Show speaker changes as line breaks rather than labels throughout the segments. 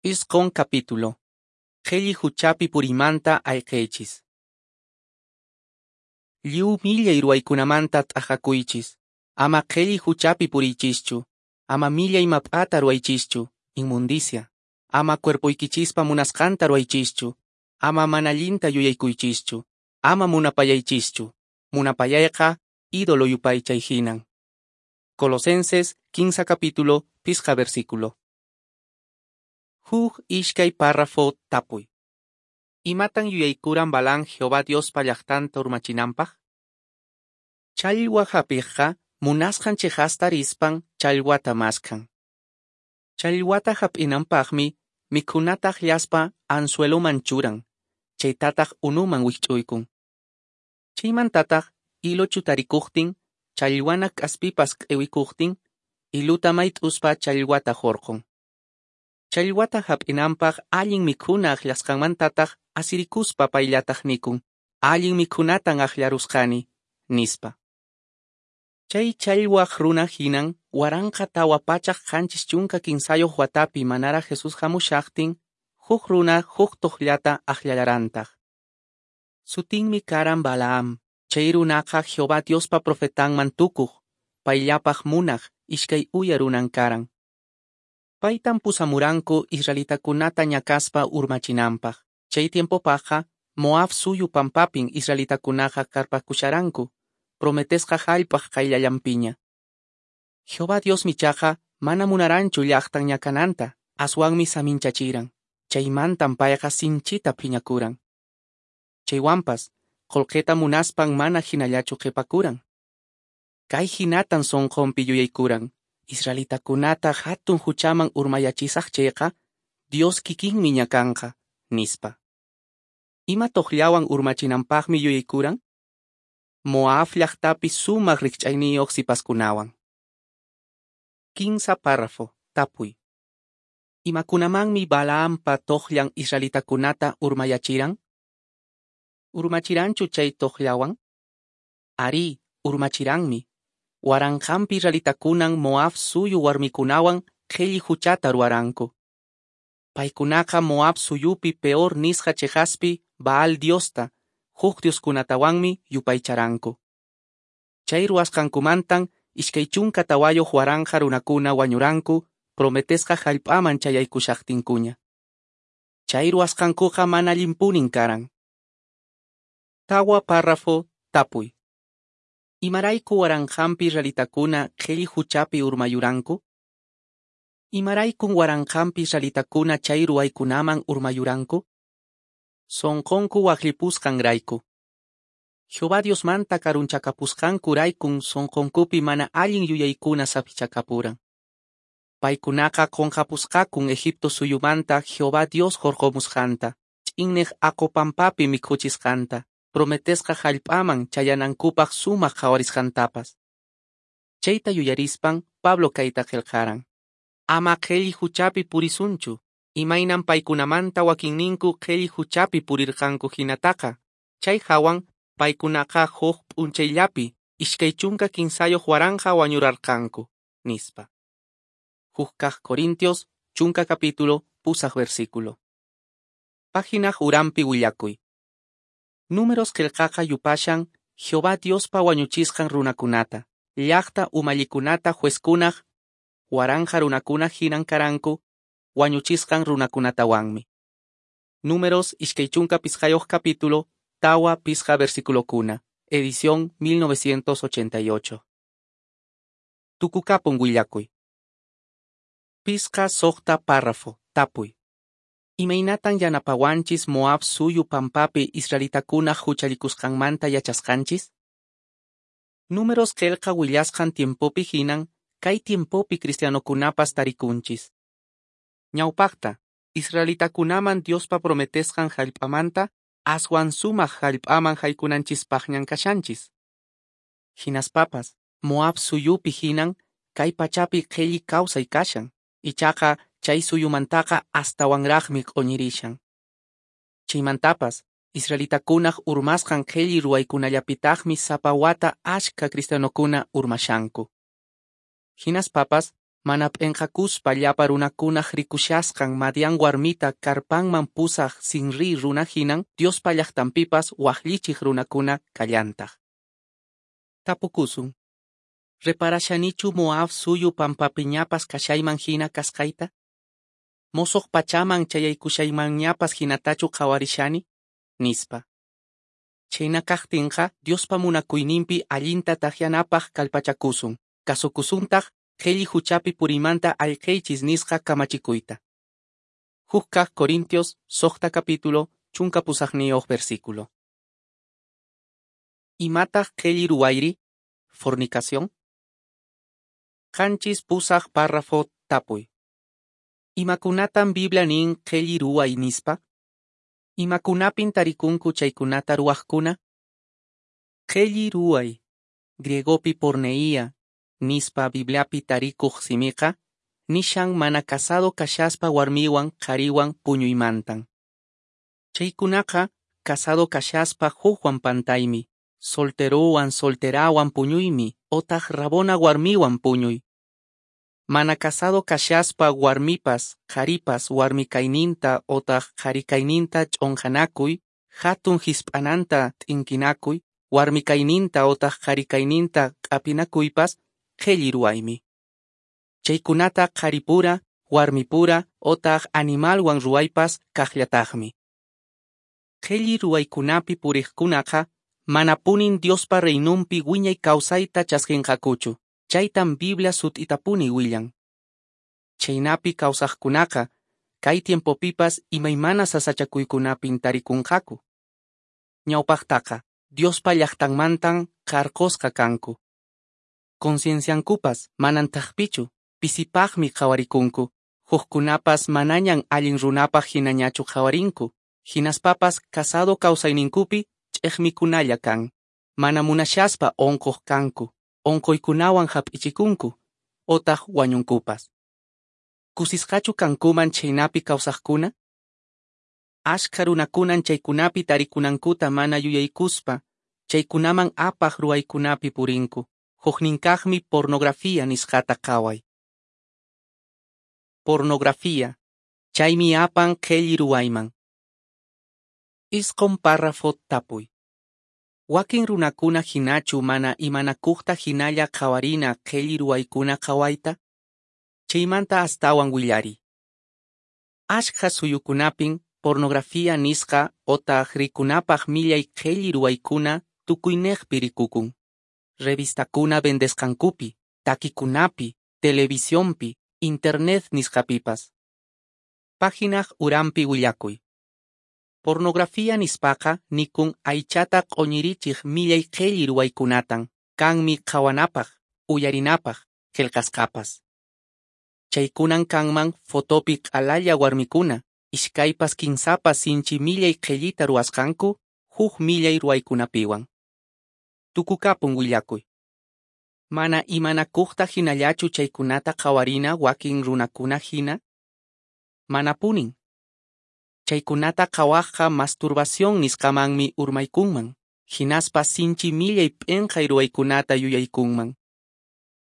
9 capítulo. Qhelli huchapi puriymanta ayqeychis. Lliw millay ruwaykunamanta t'aqakuychis. Ama qhelli huchapi puriychischu. Ama millay map'ata ruwaychischu, inmundicia. Ama cuerpoykichispa munasqanta ruwaychischu. Ama mana allinta yuyaykuychischu. Ama munapayaychischu. Munapayayqa ídolo yupaychay hinan. Colosenses 15 capítulo, 5 versículo. Huk ishkay párrafo tapuy. Imatan yuyaykuran Balaam Jehová Diospa llaqtanta urmachinanpaq? Challwa hap'iqqa munasqan chiqasta rispan challwata maskhan. Challwata hap'inanpaqmi mikhunata akllaspa anzueloman churan, chaytataq unuman wikch'uykun. Chaymantataq hilo chutarikuqtin, challwana k'aspipas q'iwikuqtin, hiluta mayt'uspa challwata hurqun. Challwata hap'inanpaq allin mikhuna akllasqanmantataq asirikuspa payllataq nikun, allin mikhunatan akllarusqani, nispa. Chay challwaq runa hinan 1473 watapi manaraq Jesús hamushaqtin, huk runa huk toqllata akllallarantaq. Sutinmi karan Balaam, chay runaqa Jehová Diospa profetanman tukuq, payllapaq munaq, ishkay uya runan karan. Paytan pusamuranku israelitakunata ñakaspa urmachinanpaq. Chay tiempopaqqa Moab suyu pampapin israelitakunaqa karpakusharanku, prometesqa hallp'aq qayllallanpiña. Jehová Diosmi ichaqa mana munaranchu llaqtan ñakananta, aswanmi saminchachiran. Chaymantan payqa sinchita phiñakuran. Chaywanpas, qullqita munaspan mana hinallachu qhipakuran. Kay hinatan sunqunpi yuyaykuran, israelitakunata hatun huchaman urmayachisaq chayqa, Dios kikinmi ñakanqa, nispa. Ima toqllawan urmachinanpaqmi yuyaykuran? Moab llaqtapi sumaq rikch'ayniyuq sipaskunawan. 15 párrafo, tapuy. Imakunamanmi Balaampa toqllan israelitakunata urmayachiran? Urmachiranchu chay toqllawan? Arí, urmachiranmi. Waranqanpi israelitakunan Moab suyu warmikunawan qhelli huchata ruwaranku. Paykunaqa Moab suyupi Peor nisqa chiqaspi Baal diosta, huk dioskunatawanmi yupaycharanku. Chay ruwasqankumantan 24,000 runakuna wañuranku prometesqa hallp'aman chayaykushaqtinkuña. Chay ruwasqankuqa mana allinpunin karan. 4 párrafo, tapuy. Imarayku waranqanpi israelitakuna qhelli huchapi urmayuranku? Imaraykun waranqanpi israelitakuna chay ruwaykunaman urmayuranku? Sunqunku waqllipusqanrayku. Jehová Diosmanta karunchakapusqankuraykun sunqunkupi mana allin yuyaykuna saphichakapuran. Paykunaqa qunqapusqakun Egipto suyumanta Jehová Dios hurqumusqanta, ch'inniq aqu pampapi mikhuchisqanta, prometesqa hallp'aman chayanankupaq sumaq qhawarisqantapas. Chayta yuyarispan Pablo kayta qillqaran. Ama qhelli huchapi purisunchu, imaynan paykunamanta wakinninku qhelli huchapi purirqanku hinataqa, chay hawan paykunaqa huk p'unchayllapi 23,000 wañurarqanku, nispa. 1 Corintios, 10 capítulo, 8 versículo. Página uranpi willakuy. Números qillqaqa yupashan Jehová Diospa wañuchisqan runakunata, llaqta umallikunata juezkunaq, waranqa runakuna hinan karanku, wañuchisqan runakunatawanmi. Números 25 capítulo, 4 versículokuna, edición 1988. Tukukapun willakuy. 6 párrafo, tapuy. Imaynatan yanapawanchis Moab suyu pampapi israelitakunaq huchallikusqanmanta yachasqanchis? Números qillqa willasqan tiempopi hinan, kay tiempopi cristianokunapas tarikunchis. Ñawpaqta, israelitakunaman Diospa prometesqan hallp'amanta, aswan sumaq hallp'aman haykunanchispaqñan kashanchis. Hinaspapas, Moab suyupi hinan, kay pachapi qhelli kawsay kashan, ichaqa chay suyumantaqa astawanraqmi q'uñirishan. Chaymantapas, israelitakunaq urmasqan qhelli ruwaykunallapitaqmi sapa wata ashka cristianokuna urmashanku. Hinaspapas, Mana p'enqakuspa llapa runakunaq rikushasqan Madián warmita karpanman pusaq Zinrí runa hinan Diospa llaqtanpipas waqllichiq runakuna kallantaq. Tapukusun: Reparashanichu Moab suyu pampapiñapas kashayman hina kasqayta? Mosoq pachaman chayaykushaymanñapas hinatachu qhawarishani? Nispa. Chhayna kaqtinqa Diospa munakuyninpi allinta takyanapaq kallpachakusun, kasukusuntaq qhelli huchapi puriymanta ayqeychis nisqa kamachikuyta. 1 Corintios 6 capítulo 18 versículo. Imataq qhelli ruwayri? Fornicación. 7 párrafo tapuy. Imakunatan Biblia nin qhelli ruway nispa? Imakunapin tarikunku chaykunata ruwaqkuna? Qhelli ruway, griegopi porneía, nispa Bibliapi tarikuq simiqa, nishan mana casado kashaspa warmiwan qhariwan puñuymantan. Chaykunaqa casado kashaspa hukwan pantaymi, solterowan solterawan puñuymi, otaq rabona warmiwan puñuy. Mana casado kashaspa warmipas, qharipas warmikayninta otaq qharikayninta ch'onqanakuy, hatun hisp'ananta t'inkinakuy, warmikayninta otaq qharikayninta q'apinakuypas qhelli ruwaymi. Chaykunata qharipura, warmipura otaq animalwan ruwaypas kaqllataqmi. Qhelli ruwaykunapi puriqkunaqa manapunin Diospa reinunpi wiñay kawsayta chaskinqakuchu. Chaytan Biblia sut'itapuni willan. Chaynapi kawsaqkunaqa kay tiempopipas imaymana sasachakuykunapin tarikunqaku. Ñawpaqtaqa Diospa llaqtanmantan qarqosqa kanku. Concienciankupas manan thaqpichu, pisipaqmi qhawarikunku, hukkunapas manañan allin runapaq hinañachu qhawarinku, hinaspapas casado kawsayninkupi ch'eqmikunalla kan, mana munashaspa onqoq kanku, onqoykunawan hap'ichikunku, otaq wañunkupas. Kusisqachu kankuman chhaynapi kawsaqkuna? Ashkha runakunan chaykunapi tarikunankuta mana yuyaykuspa, chaykunaman apaq ruwaykunapi purinku. Hukninkaqmi pornografía nisqata qhaway. Pornografía, chaymi apan qhelli ruwayman. 9 párrafo tapuy. Wakin runakuna hinachu mana imanakuqta hinalla qhawarina qhelli ruwaykuna qhawayta? Chaymanta astawan willariy. Ashkha suyukunapin pornografía nisqa otaq rikunapaq millay qhelli ruwaykuna tukuyniqpi rikukun. Revistakuna vendesqankupi, takikunapi, televisionpi, internet nisqapipas. Páginaq uranpi willakuy. Pornografía nispaqa nikun aychata q'uñirichiq millay qhelli ruwaykunatan, kanmi qhawanapaq, uyarinapaq, qillqasqapas. Chaykunan kanman fotopi q'alalla warmikuna, iskaypas kinsapas sinchi millay qhellita ruwasqanku, huk millay ruwaykunapiwan. Tukukapun willakuy. Mana imanakuqta hinallachu chaykunata qhawarina wakin runakuna hina? Manapunin. Chaykunata qhawaqqa masturbación nisqamanmi urmaykunman, hinaspa sinchi millay p'inqay ruwaykunata yuyaykunman.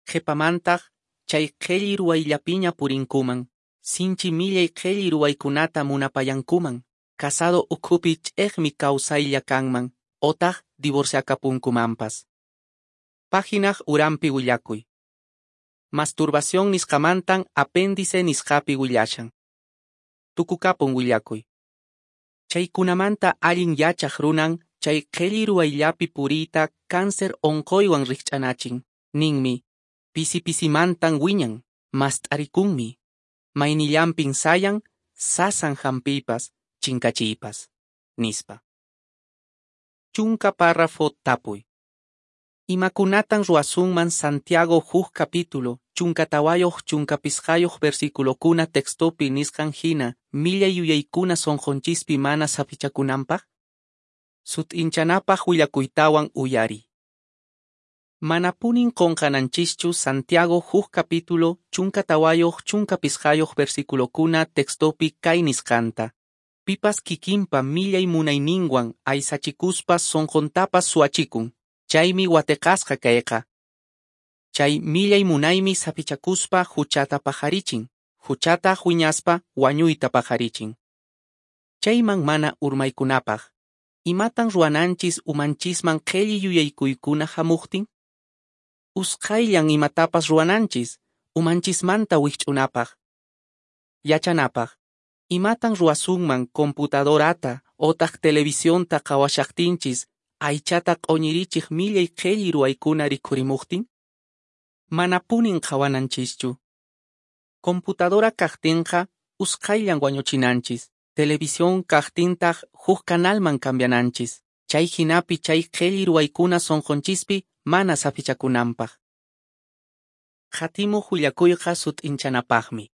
Qhipamantaq chay qhelli ruwayllapiña purinkuman, sinchi millay qhelli ruwaykunata munapayankuman, casado ukhupi ch'eqmi kawsaylla kanman, otaq divorciakapunkumanpas. Páginaq uranpi willakuy. Masturbación nisqamantan apéndice nisqapi willashan. Tukukapun willakuy. Chaykunamanta allin yachaq runan chay qhelli ruwayllapi puriyta cáncer onqoywan rikch'anachin. Ninmi, pisi pisimantan wiñan, mast'arikunmi, maynillanpin sayan, sasan hampiypas, chinkachiypas, nispa. 10 párrafo tapuy. Imakunatan ruwasunman Santiago 1 capítulo, 14 15 versículokuna textopi nisqan hina millay yuyaykuna sunqunchispi mana saphichakunanpaq? Sut'inchanapaq willakuytawan uyariy. Manapunin qunqananchischu Santiago 1 capítulo 14 15 versículokuna textopi kay nisqanta. Pipas kikinpa millay munayninwan aysachikuspa sunquntapas suwachikun, chaymi wateqasqa kayqa. Chay millay munaymi saphichakuspa huchata paqarichin, huchataq wiñaspa wañuyta paqarichin. Chayman mana urmaykunapaq, imatan ruwananchis umanchisman qhelli yuyaykuykuna hamuqtin? Usqhayllan imatapas ruwananchis, umanchismanta wikch'unapaq. Yachanapaq, imatan ruwasunman computadorata otaq televisionta qhawashaqtinchis aychata q'oñirichiq millay qhelli ruwaykuna rikhurimuqtin? Manapunin qhawananchischu. Computadora kaqtinqa usqhayllan wañuchinanchis, televisión kaqtintaq huk canalman cambiananchis, chay hinapi chay qhelli ruwaykuna sonqonchispi mana saphichakunanpaq. Qatimuq willakuyqa sut'inchanapaqmi.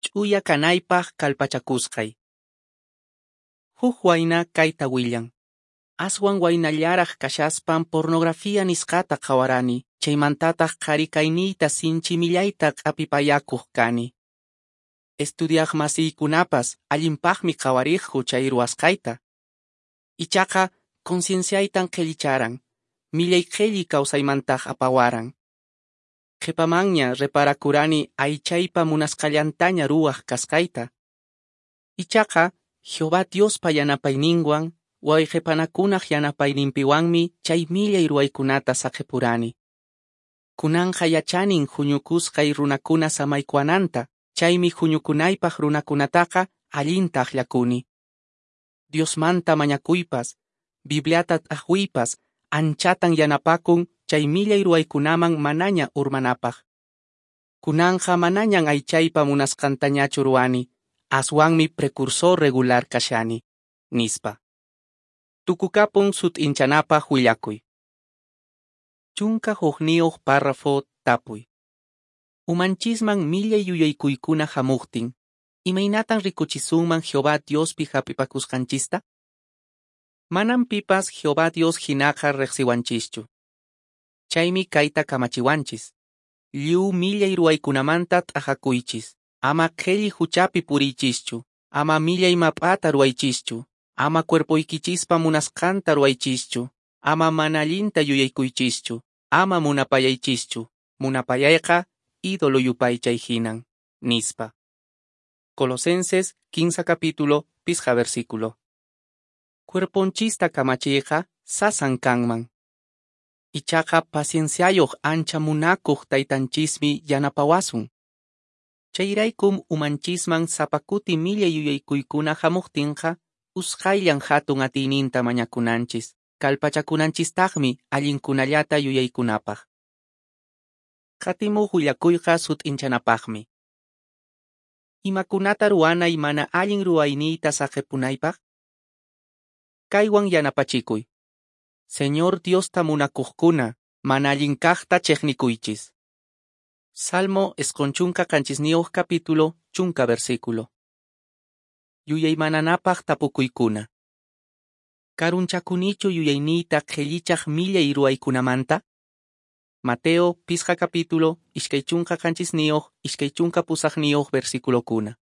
Ch'uya kanaypaq kallpachakusqay. Huk wayna kayta willan. Aswan waynallaraq kashaspan pornografía nisqata qhawarani, chaymantataq qhari kayniyta sinchi millayta q'apipayakuq kani. Estudiaq masiykunapas allinpaqmi qhawariqku chay ruwasqayta. Ichaqa concienciaytan qhellicharan, millay qhelli kawsaymantaq apawaran. Qhipamanña reparakurani aychaypa munasqallantaña ruwaq kasqayta. Ichaqa Jehová Diospa yanapayninwan, wayqipanakunaq yanapayninpiwanmi chay millay ruwaykunata saqipurani. Kunanqa yachanin huñukusqay runakuna samaykuwananta, chaymi huñukunaypaq runakunataqa allinta akllakuni. Diosmanta mañakuypas, Bibliata t'aqwiypas anchatan yanapakun chay millay ruwaykunaman manaña urmanapaq. Kunanqa manañan aychaypa munasqantañachu ruwani, aswanmi precursor regular kashani, nispa. Tukukapun sut'inchanapaq willakuy. 11 párrafo tapuy. Umanchisman millay yuyaykuykuna hamuqtin, imaynatan rikuchisunman Jehová Diospi hap'ipakusqanchista? Manan pipas Jehová Dios hinaqa riqsiwanchischu. Chaymi kayta kamachiwanchis. Lliw millay ruwaykunamanta t'aqakuychis, ama qhelli huchapi puriychischu, ama millay map'ata ruwaychischu, ama cuerpoykichispa munasqanta ruwaychischu, ama mana allinta yuyaykuychischu, ama munapayaychischu, munapayayqa ídolo yupaychay hinan, nispa. Colosenses 15 capítulo, 5 versículo. Cuerponchista kamachiyqa sasan kanman. Ichaqa pacienciayuq ancha munakuq taytanchismi yanapawasun. Chayraykum umanchisman sapa kuti millay yuyaykuykuna hamuqtinqa usqhayllan hatun atiyninta mañakunanchis, kallpachakunanchistaqmi allinkunallata yuyaykunapaq. Qatimuq willakuyqa sut'inchanapaqmi. Imakunata ruwanay mana allin ruwayniyta saqipunaypaq? Kaywan yanapachikuy. Señor Diosta munakuqkuna, mana allin kaqta chiqnikuychis. Salmo 97 capítulo, 10 versículo. Yuyaymananapaq tapukuykuna. Karunchakunichu yuyayniyta qhellichaq millay ruwaykunamanta? Mateo 5 capítulo, 27 28 versículokuna.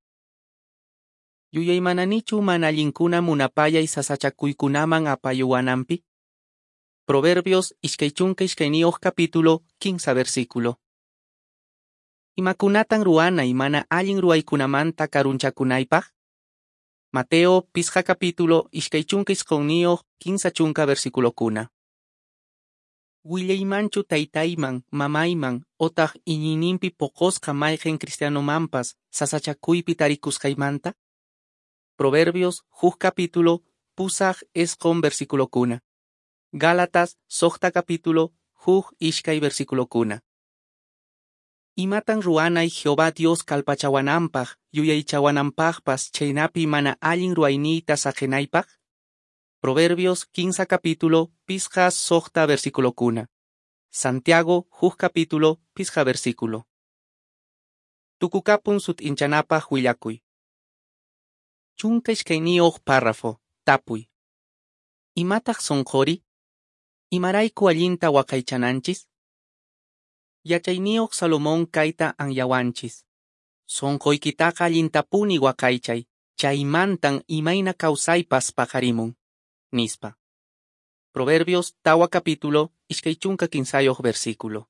Yuyaymananichu mana allinkuna munapayay sasachakuykunaman apayuwananpi? Proverbios 22 capítulo, 15 versículo. Imakunatan ruwanay mana allin ruwaykunamanta karunchakunaypaq? Mateo 5 capítulo, 29 15 versículokuna. Willaymanchu taytayman, mamayman, otaq iñiyninpi poqosqa mayqin cristianomanpas sasachakuypi tarikusqaymanta? Proverbios 1 capítulo, 8 versículokuna. Gálatas 6 capítulo, 1 versículokuna. Imatan ruwanay Jehová Dios kallpachawananpaq, yuyaychawananpaqpas chaynapi mana allin ruwayniyta saqinaypaq? Proverbios 15 capítulo, 6 versículokuna. Santiago 1 capítulo, 5 versículo. Tukukapun sut'inchanapaq willakuy. 12 párrafo, tapuy. Imataq sonqori? Imarayku allinta waqaychananchis? Yachayniyuq Salomón kayta anyawanchis. Sonqoykitaqa allintapuni waqaychay, chaymantan imayna kawsaypas paqarimun, nispa. Proverbios 4 capítulo, 23 versículo.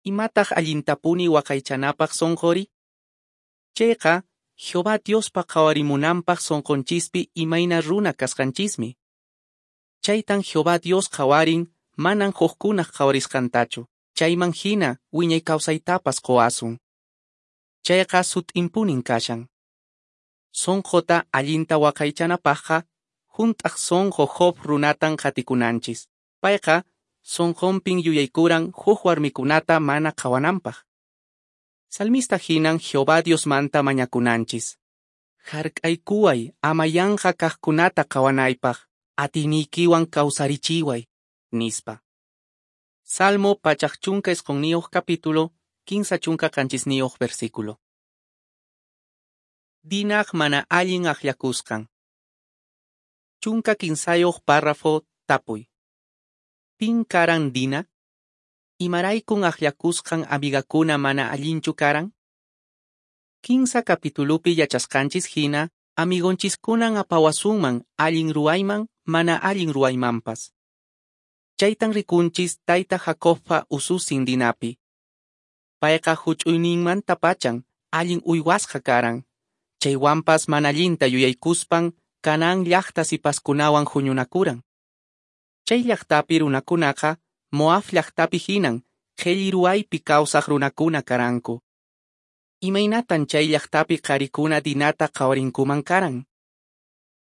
Imataq allintapuni waqaychanapaq sonqori? Chayqa, Jehová Diospa qhawarimunanpaq sonqonchispi imayna runa kasqanchismi. Chaytan Jehová Dios qhawarin manan hukkunaq qhawarisqantachu, chayman hina wiñay kawsaytapas qowasun. Chayqa sut'inpunin kashan. Sonqota allinta waqaychanapaqqa hunt'aq sonqo Job runatan qatikunanchis. Payqa sonqonpin yuyaykuran huk warmikunata mana qhawananpaq. Salmista hinan Jehová Diosmanta mañakunanchis. Hark'aykuway ama yanqa kaqkunata qhawanaypaq, atiniykiwan kawsarichiway, nispa. Salmo 119 capítulo, 37 versículo. Dinaq mana allin akllakusqan. 13 párrafo tapuy. Pin karan Dina? Imaraykun akllakusqan amigakuna mana allinchu karan? 15 capitulupi yachasqanchis hina, amigonchiskunan apawasunman allin ruwayman mana allin ruwaymanpas. Chaytan rikunchis tayta Jacobpa ususin Dinapi. Payqa huch'uyninmantapachan allin uywasqa karan. Chaywanpas mana allinta yuyaykuspan Canaán llaqta sipaskunawan huñunakuran. Chay llaqtapi runakunaqa Moab llaqtapi hinan qhelli ruwaypi kawsaq runakuna karanku. Imaynatan chay llaqtapi qarikuna Dinata qhawarinkuman karan?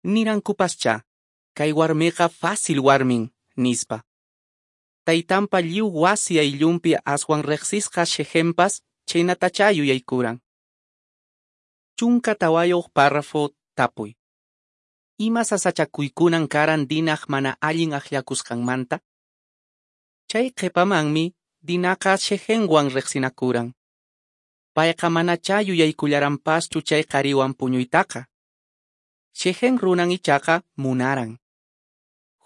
Nirankupascha, kay warmiqa fácil warmin, nispa. Taytanpa lliw wasi ayllunpi aswan riqsisqa Shechempas chaynatacha yuyaykuran. 14 párrafo tapuy. Ima sasachakuykunan karan Dinaq mana allin akllakusqanmanta? Chay qhipamanmi Dinaqa Shechemwan riqsinakuran. Payqa manachá yuyaykullaranpaschu chay qhariwan puñuytaqa. Shechem runan ichaqa munaran.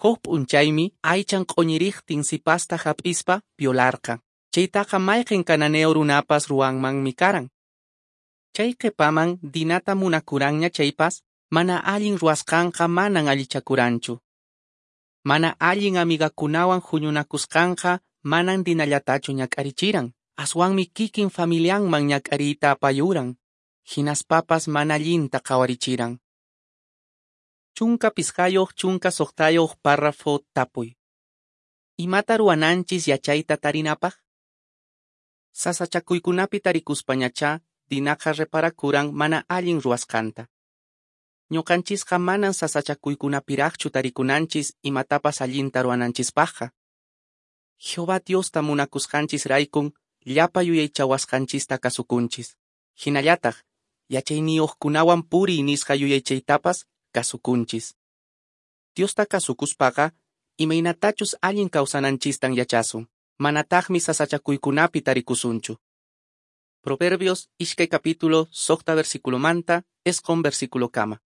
Huk p'unchaymi aychan q'uñiriqtin sipasta hap'ispa violarqan. Chaytaqa mayqin cananeo runapas ruwanmanmi karan. Chay qhipaman Dinata munakuranña chaypas, mana allin ruwasqanqa manan allichakuranchu. Mana allin amigakunawan huñunakusqanqa manan Dinallatachu ñak'arichiran, aswanmi kikin familianman ñak'ariyta apayuran, hinaspapas mana allinta qhawarichiran. 15 16 párrafo tapuy. Imata ruwananchis yachayta tarinapaq? Sasachakuykunapi tarikuspañachá Dinaqa reparakuran mana allin ruwasqanta. Ñuqanchisqa manan sasachakuykunapiraqchu tarikunanchis imatapas allinta ruwananchispaqqa. Jehová Diosta munakusqanchisraykun llapa yuyaychawasqanchista kasukunchis. Hinallataq yachayniyuqkunawan puriy nisqa yuyaychaytapas kasukunchis. Diosta kasukuspaqa imaynatachus allin kawsananchistan yachasun, manataqmi sasachakuykunapi tarikusunchu. Proverbios 2 capítulo 6 versículo manta 9 versículo kama.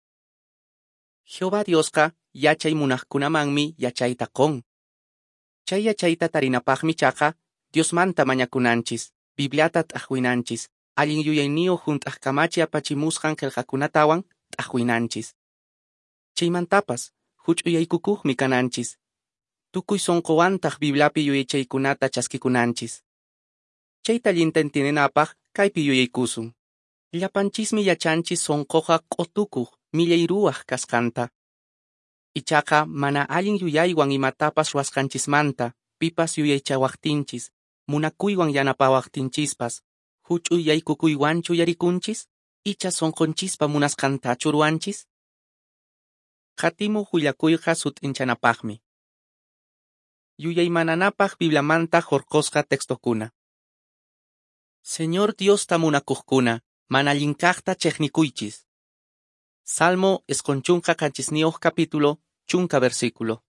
Jehová Diosqa yachay munaqkunamanmi yachayta qon. Chay yachayta tarinapaqmi chaqa Diosmanta mañakunanchis, Bibliata t'aqwinanchis, allin yuyayniyuq hunt'aq kamachi apachimusqan qillqakunatawan t'aqwinanchis. Chaymantapas huch'uyaykukuqmi kananchis, tukuy sunquwantaq Bibliapi yuyaychaykunata chaskikunanchis. Chayta allinta entiendenapaq kaypi yuyaykusun. Llapanchismi yachanchis sunquqa q'utukuq millay ruwaq kasqanta. Ichaqa mana allin yuyaywan imatapas ruwasqanchismanta pipas yuyaychawaqtinchis, munakuywan yanapawaqtinchispas, huch'uyaykukuywanchu yarikunchis, icha sunqunchispa munasqantachu ruwanchis? Qatimuq willakuyqa sut'inchanapaqmi. Yuyaymananapaq Bibliamanta hurqusqa textokuna. Señor Diosta munakuqkuna, mana allinkaqta chiqnikuychis. Salmo 97 capítulo, 10 versículo.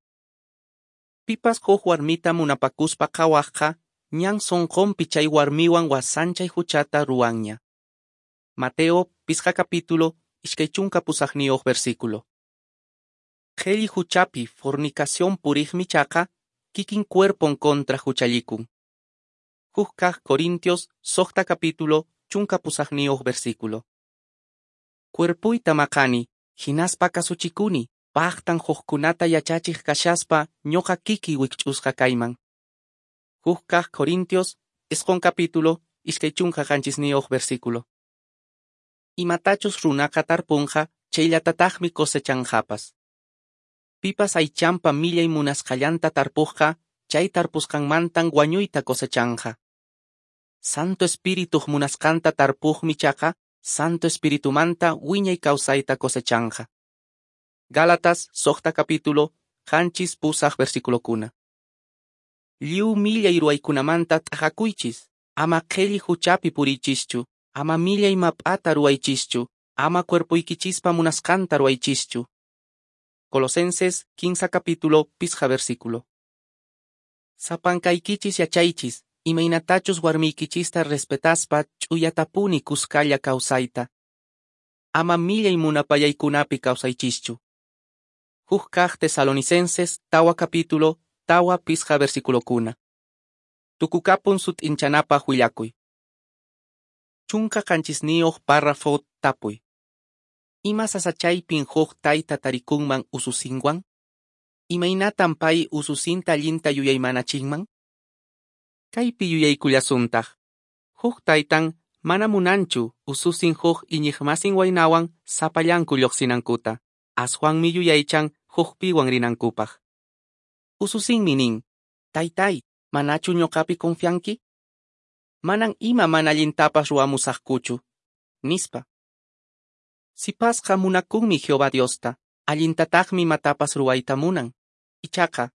Pipas huk warmita munapakuspa qhawaqqa, ñan sunqunpi chay warmiwan wasanchay huchata ruwanña. Mateo 5 capítulo, 28 versículo. Qhelli huchapi fornicación puriqmi chaqa, kikin cuerpon contra huchallikun. Huk kaq Corintios 6 capítulo, 18 versículo. Cuerpuyta maqani, hinaspa kasuchikuni, paqtan hukkunata yachachiq kashaspa ñuqa kiki wikch'usqa kayman. Huk kaq Corintios 9 capítulo, 27 versículo. Imatachus runaqa tarpunqa, chayllatataqmi cosechanqapas. Pipas aychanpa millay munasqallanta tarpuqqa, chay tarpusqanmantan wañuyta cosechanqa. Santo Espirituq munasqanta tarpuqmi chaqa, Santo Espiritumanta wiñay kawsayta cosechanqa. Gálatas, 6 capítulo, 7-8 versículokuna. Lliw millay ruwaykunamanta t'aqakuychis, ama qhelli huchapi puriychischu, ama millay map'ata ruwaychischu, ama cuerpoykichispa munasqanta ruwaychischu. Colosenses 15 capítulo, 5 versículo. Sapankaykichis yachaychis, imaynatachus warmiykichista respetaspa ch'uyatapuni kuskalla kawsayta. Ama millay munapayaykunapi kawsaychischu. Huk kaq Tesalonicenses, 4 capítulo, 4-5 versículokuna. Tukukapun sut'inchanapaq willakuy. 17 párrafo tapuy. Ima sasachaypin huk tayta tarikunman ususinwan? Imaynatan pay ususinta allinta yuyaymanachinman? Kaypi yuyaykullasuntaq. Huk taytan mana munanchu ususin huk iñiqmasin waynawan sapallanku lluqsinankuta. Aswanmi yuyaychan hukpiwan rinankupaq. Ususinmi nin, taytay, manachu ñuqapi confianki? Manan ima mana allintapas ruwamusaqkuchu, nispa. Sipasqa munakunmi Jehová Diosta, allintataqmi imatapas ruwayta munan. Ichaqa,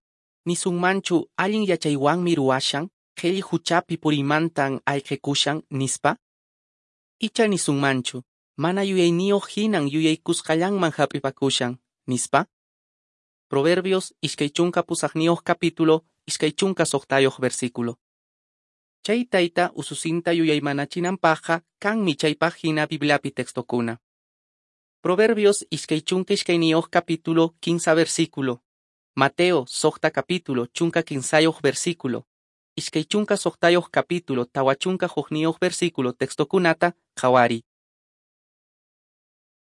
nisunmanchu allin yachaywanmi ruwashan, qhelli huchapi puriymantan ayqikushan, nispa? Icha nisunmanchu, mana yuyayniyuq hinan yuyaykusqallanman hap'ipakushan, nispa? Proverbios 28 capítulo, 26 versículo. Chay tayta ususinta yuyaymanachinanpaqqa kanmi chaypaq hina Bibliapi textokuna. Proverbios 22 capítulo, 15 versículo. Mateo 6 capítulo, 15 versículo. 26 capítulo, 41 versículo textokunata qhawariy.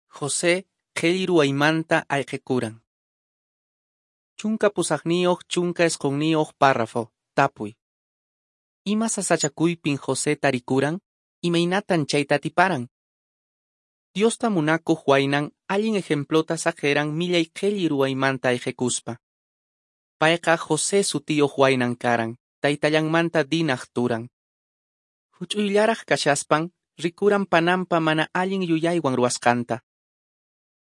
José qhelli ruwaymanta ayqikuran. 18-19 párrafo, tapuy. Ima sasachakuypin José tarikuran? Imaynatan chayta atiparan? Diosta munakuq waynan allin ejemplota saqeran millay qhelli ruwaymanta ayqikuspa. Payqa José sutiyuq waynan karan, taytallanmanta Dinaq turan. Huch'uyllaraq kashaspan, rikuran pananpa mana allin yuyaywan ruwasqanta.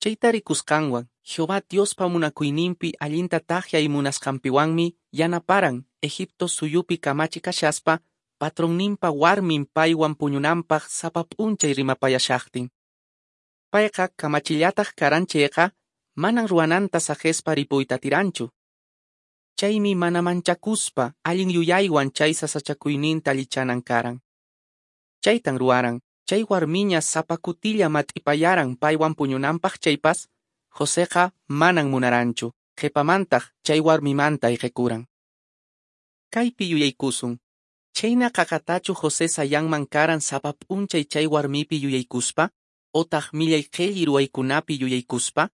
Chayta rikusqanwan, Jehová Diospa munakuyninpi allinta takyay munasqanpiwanmi yanaparan Egipto suyupi kamachi kashaspa, patronninpa warmin paywan puñunanpaq sapa p'unchay rimapayashaqtin. Payqa kamachillataq karan chayqa, manan ruwananta saqespa ripuyta atiranchu. Chaymi mana manchakuspa allin yuyaywan chay sasachakuyninta allichanan karan. Chaytan ruwaran, chay warmiña sapa kutilla mat'ipayaran paywan puñunanpaq chaypas, Joseqa manan munaranchu, qhipamantaq chay warmimanta ayqikuran. Kaypi yuyaykusun, chayna qaqatachu José sayanman karan sapa p'unchay chay warmipi yuyaykuspa, otaq millay qhelli ruwaykunapi yuyaykuspa?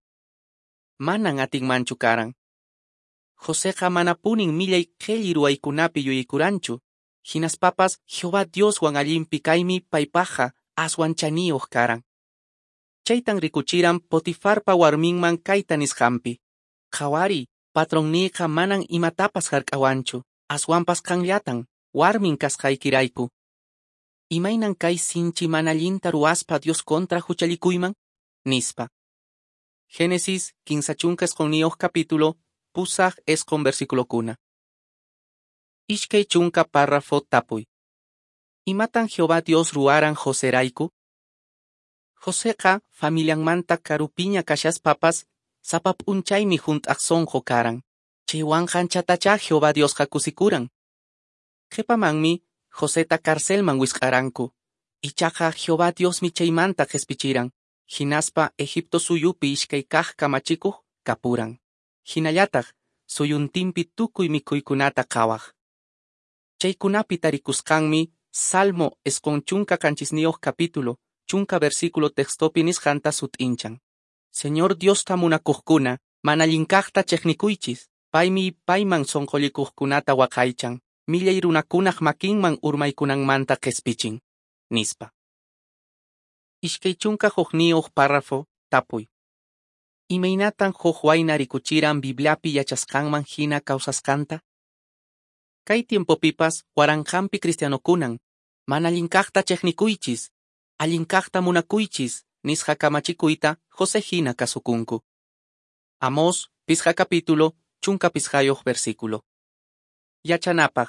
Manan atinmanchu karan. Joseqa manapunin millay qhelli ruwaykunapi yuyaykuranchu, hinaspapas Jehová Dioswan allinpi kaymi paypaqqa aswan chaniyuq karan. Chaytan rikuchiran Potifarpa warminman kayta nisqanpi. Qhawariy, patronniyqa manan imatapas hark'awanchu, aswanpas qanllatan, warmin kasqaykirayku. Imaynan kay sinchi mana allinta ruwaspa Dios contra huchallikuyman? Nispa. Génesis 39 capítulo, 8 versículokuna. 20 párrafo tapuy. Imatan Jehová Dios ruwaran Joserayku? Joseqa familianmanta karupiña kashaspapas, sapa p'unchaymi hunt'aq sunqu karan. Chaywanqa anchatachá Jehová Diosqa kusikuran. Qhipamanmi Joseta carcelman wisq'aranku. Ichaqa Jehová Diosmi chaymanta qhispichiran. Hinaspa Egipto suyupi iskay kaq kamachikuq kapuran. Hinallataq suyuntinpi tukuy mikhuykunata qhawaq. Chaykunapi tarikusqanmi Salmo 97 capítulo, 10 versículo textopi nisqanta sut'inchan. Señor Diosta munakuqkuna, mana allinkaqta chiqnikuychis, paymi payman sunqullikuqkunata waqaychan. millay runakunaq makinman urmaykunanmanta qespichin, nispa. 21 párrafo, tapuy. Imaynatan huk wayna rikuchiran Bibliapi yachasqanman hina kawsasqanta? Kay tiempopipas waranqanpi cristianokunan, mana allinkaqta cheqnikuychis, allinkaqta munakuychis, nisqa kamachikuyta José hina kasukunku. Amós, 5 capítulo, 15 versículo. Yachanapaq,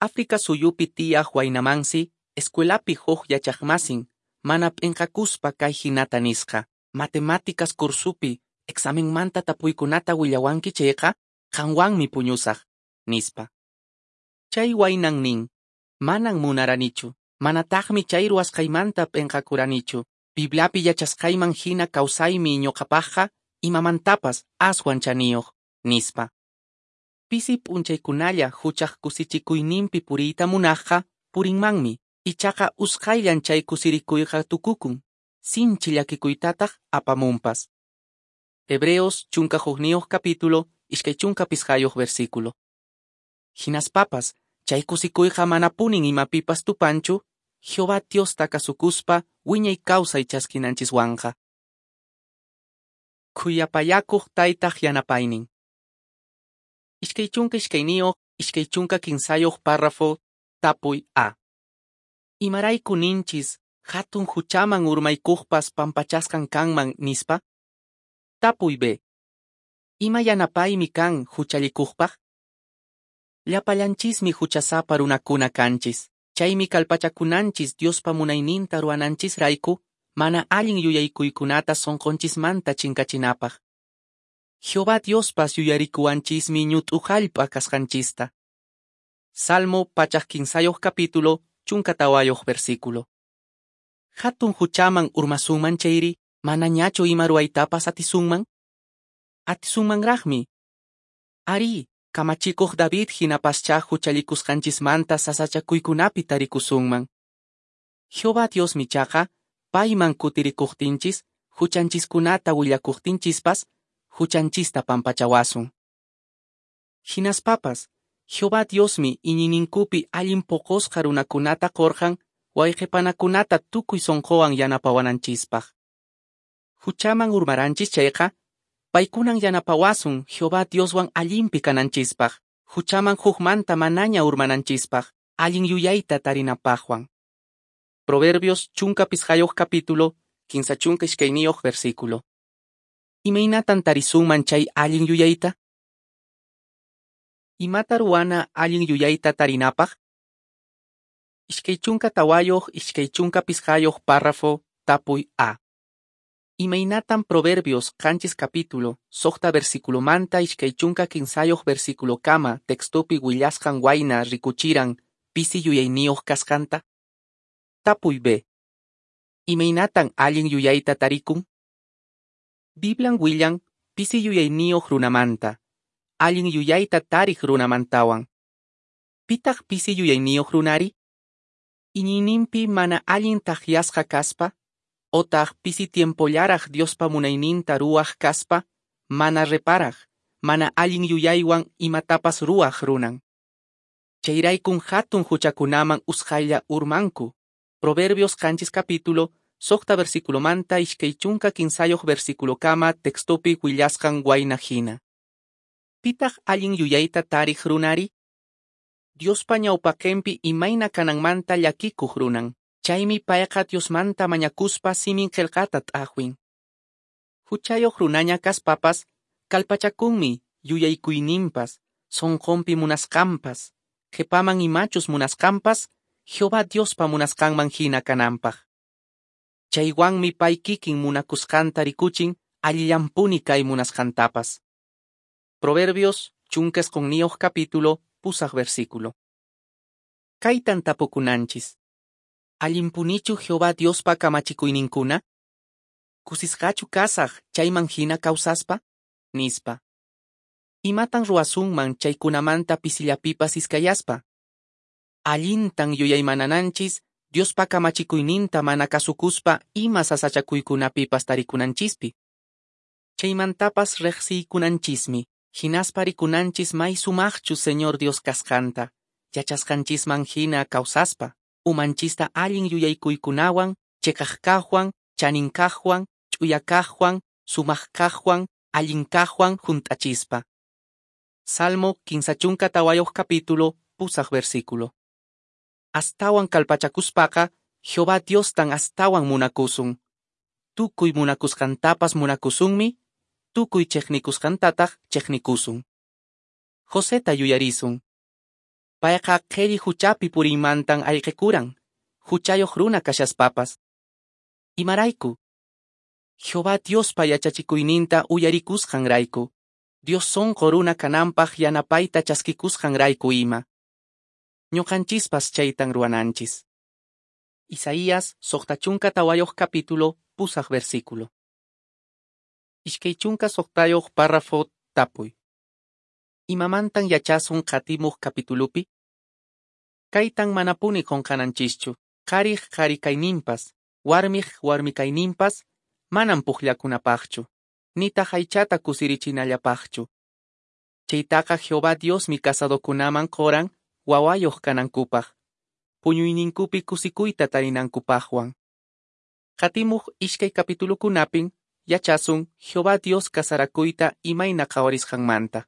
África suyupi tiyaq waynamansi, escuelapi huk yachaqmasin, mana p'inqakuspa kay hinata nisqa, matemáticas kursupi, examenmanta tapuykunata willawanki chayqa, qanwanmi puñusaq, nispa. Chay waynan nin, manan munaranichu, manataqmi chay ruwasqaymanta p'inqakuranichu, Bibliapi yachasqayman hina kawsaymi ñuqapaqqa, imamantapas aswan chaniyuq, nispa. Pisi p'unchaykunalla huchaq kusichikuyninpi puriyta munaqqa purinmanmi, ichaqa usqhayllan chay kusirikuyqa tukukun, sinchi llakikuytataq apamunpas. Hebreos 11 capítulo, 25 versículo. Hinaspapas, chay kusikuyqa manapunin imapipas tupanchu, Jehová Diosta kasukuspa wiñay kawsay chaskinanchiswanqa. Khuyapayakuq taytaq yanapaynin. 22, 23 párrafo, tapuy A. Imarayku ninchis, hatun huchaman urmaykuqpas pampachasqan kanman nispa? Tapuy B. Ima yanapaymi kan huchallikuqpaq? Llapallanchismi huchasapa runakuna kanchis. Chaymi kallpachakunanchis Diospa munayninta ruwananchisrayku, mana allin yuyaykuykunata sonqonchismanta chinkachinapaq. Jehová Diospas yuyarikuwanchismi ñut'u hallp'a kasqanchista. Salmo 115 capítulo, 14 versículo. Hatun huchaman urmasunman chayri, manañachu ima ruwaytapas atisunman? Atisunmanraqmi. Ari, kamachikuq David hinapaschá huchallikusqanchismanta sasachakuykunapi tarikusunman. Jehová Diosmi chaqa, payman kutirikuqtinchis, huchanchiskunata willakuqtinchispas, huchanchista pampachawasun. Hinaspapas, Jehová Diosmi iñiyninkupi allin poqosqa runakunata qorqan, wayqipanakunata tukuy sonqowan yanapawananchispaq. Huchaman urmaranchis chayqa, paykunan yanapawasun Jehová Dioswan allinpi kananchispaq, huchaman hukmanta manaña urmananchispaq, allin yuyayta tarinapaqwan. Proverbios 15 capítulo, 32 versículo. Imaynatan tarisunman chay allin yuyayta? Imata ruwana allin yuyayta tarinapaq? 24, 25 párrafo, tapuy A. Imaynatan Proverbios 7 capítulo, 6 versículo manta 23 versículo kama textopi willasqan wayna rikuchiran pisi yuyayniyuq kasqanta? Tapuy B. Imaynatan allin yuyayta tarikun? Biblian willan pisi yuyayniyuq runamanta, allin yuyayta tariq runamantawan. Pitaq pisi yuyayniyuq runari? Iñiyninpi mana allin takyasqa kaspa, otaq pisi tiempollaraq Diospa munayninta ruwaq kaspa, mana reparaq, mana allin yuyaywan imatapas ruwaq runan. Chayraykun hatun huchakunaman usqhaylla urmanku. Proverbios 7 capítulo, 6 versículo manta 23 versículo kama textopi willasqan wayna hina. Pitaq allin yuyayta tariq runari? Diospa ñawpaqinpi imayna kananmanta llakikuq runan. Chaymi payqa Diosmanta mañakuspa simin qillqata t'aqwin. Huchayuq runaña kaspapas, kallpachakunmi yuyaykuyninpas, sonqonpi munasqanpas, qhipaman imachus munasqanpas, Jehová Diospa munasqanman hina kananpaq. Chaywanmi pay kikin munakusqanta rikuchin allillanpuni kay munasqantapas. Proverbios 19 capítulo, 8 versículo. Kaytan tapukunanchis. Allinpunichu Jehová Diospa kamachikuyninkuna? Kusisqachu kasaq chayman hina kawsaspa? Nispa. Imatan ruwasunman chaykunamanta pisillapipas iskayaspa? Allintan yuyaymanananchis Diospa kamachikuyninta mana kasukuspa ima sasachakuykunapipas tarikunanchispi. Chaymantapas riqsiykunanchismi, hinaspa rikunanchis may sumaqchu Señor Dios kasqanta, Yachasqanchisman hina kawsaspa, umanchista allin yuyaykuykunawan, cheqaq kaqwan, chanin kaqwan, ch'uya kaqwan, sumaq kaqwan, allin kaqwan hunt'achispa. Salmo 34 capítulo, 8 versículo. Astawan kallpachakuspaqa, Jehová Diostan astawan munakusun. Tukuy munakusqantapas munakusunmi, tukuy cheqnikusqantataq cheqnikusun. Joseta yuyarisun. Payqa qhelli huchapi puriymantan ayqikuran, huchayoq runa kashaspapas. Imarayku? Jehová Diospa yachachikuyninta uyarikusqanrayku, Dios sonqo runa kananpaq yanapayta chaskikusqanrayku ima. Ñuqanchispas chaytan ruwananchis. Isaías 64 capítulo, 8 versículo. 26 párrafo tapuy. Imamantan yachasun qatimuq capitulupi? Kaytan manapuni qunqananchischu, qhariq qhari kayninpas, warmiq warmi kayninpas, manan pukllakunapaqchu, nitaq aychata kusirichinallapaqchu. Chaytaqa Jehová Diosmi casadokunaman qoran wawayoq kanankupaq, puñuyninkupi kusikuyta tarinankupaqwan. Qatimuq iskay capitulukunapin yachasun Jehová Dios casarakuyta imayna qhawarisqanmanta.